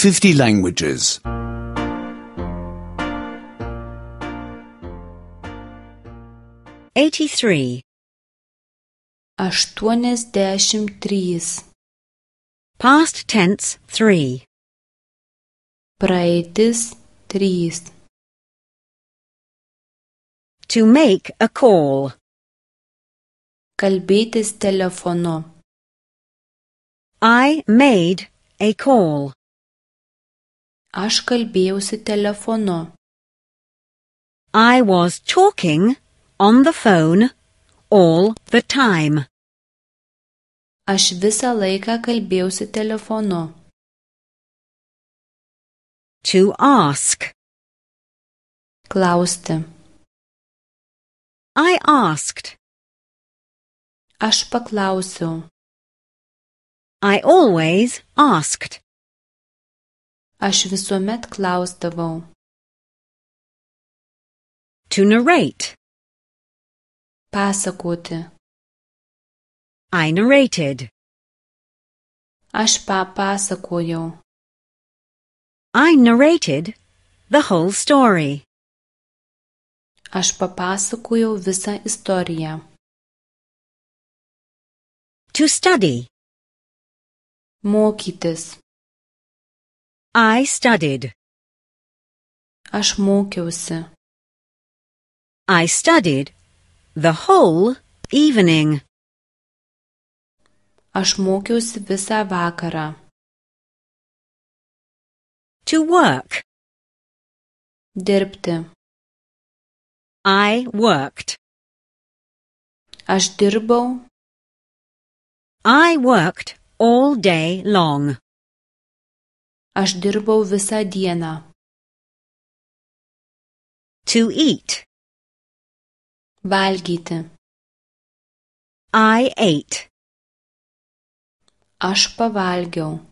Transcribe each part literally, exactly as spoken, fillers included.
fifty languages. eighty-three. aštuoniasdešimt trys. Past tense three. Praeitis trys. To make a call. Kalbėtis telefonu. I made a call. Aš kalbėjausi telefonu. I was talking on the phone all the time. Aš visą laiką kalbėjausi telefonu. To ask. Klausti. I asked. Aš paklausiau. I always asked. Aš visuomet klausdavau. To narrate. Pasakoti. I narrated. Aš papasakojau. I narrated the whole story. Aš papasakojau visą istoriją. To study. Mokytis. I studied. Aš mokiausi. I studied the whole evening. Aš mokiausi visą vakarą. To work. Dirbti. I worked. Aš dirbau. I worked all day long. Aš dirbau visą dieną. To eat. Valgyti. I ate. Aš pavalgiau.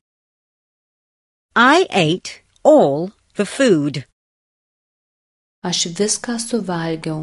I ate all the food. Aš viską suvalgiau.